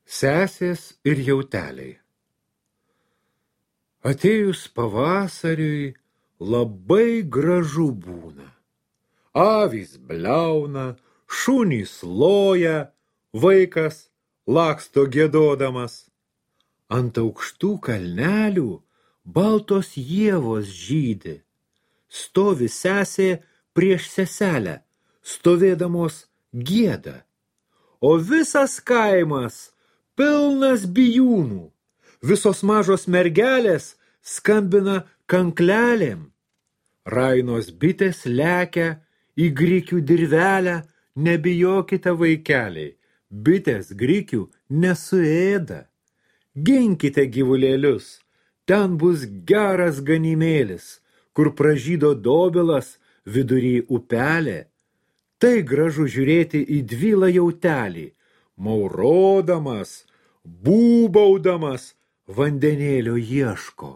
Sesės ir jauteliai. Atėjus pavasariui labai gražu būna. Avys bliauna, šunys loja, vaikas laksto giedodamas. Ant aukštų kalnelių baltos ievos žydi. Stovi sesė prieš seselę, stovėdamos gieda. O visas kaimas pilnas bijūnų. Visos mažos mergelės skambina kanklelėm. Rainos bitės lekia į grikių dirvelę, nebijokite vaikeliai, bitės grikių nesuėda. Ginkite gyvulėlius, ten bus geras ganimėlis, kur pražydo dobilas vidury upelė. Tai gražu žiūrėti į dvilą jautelį, maurodamas, būbaudamas vandenėlio ieško.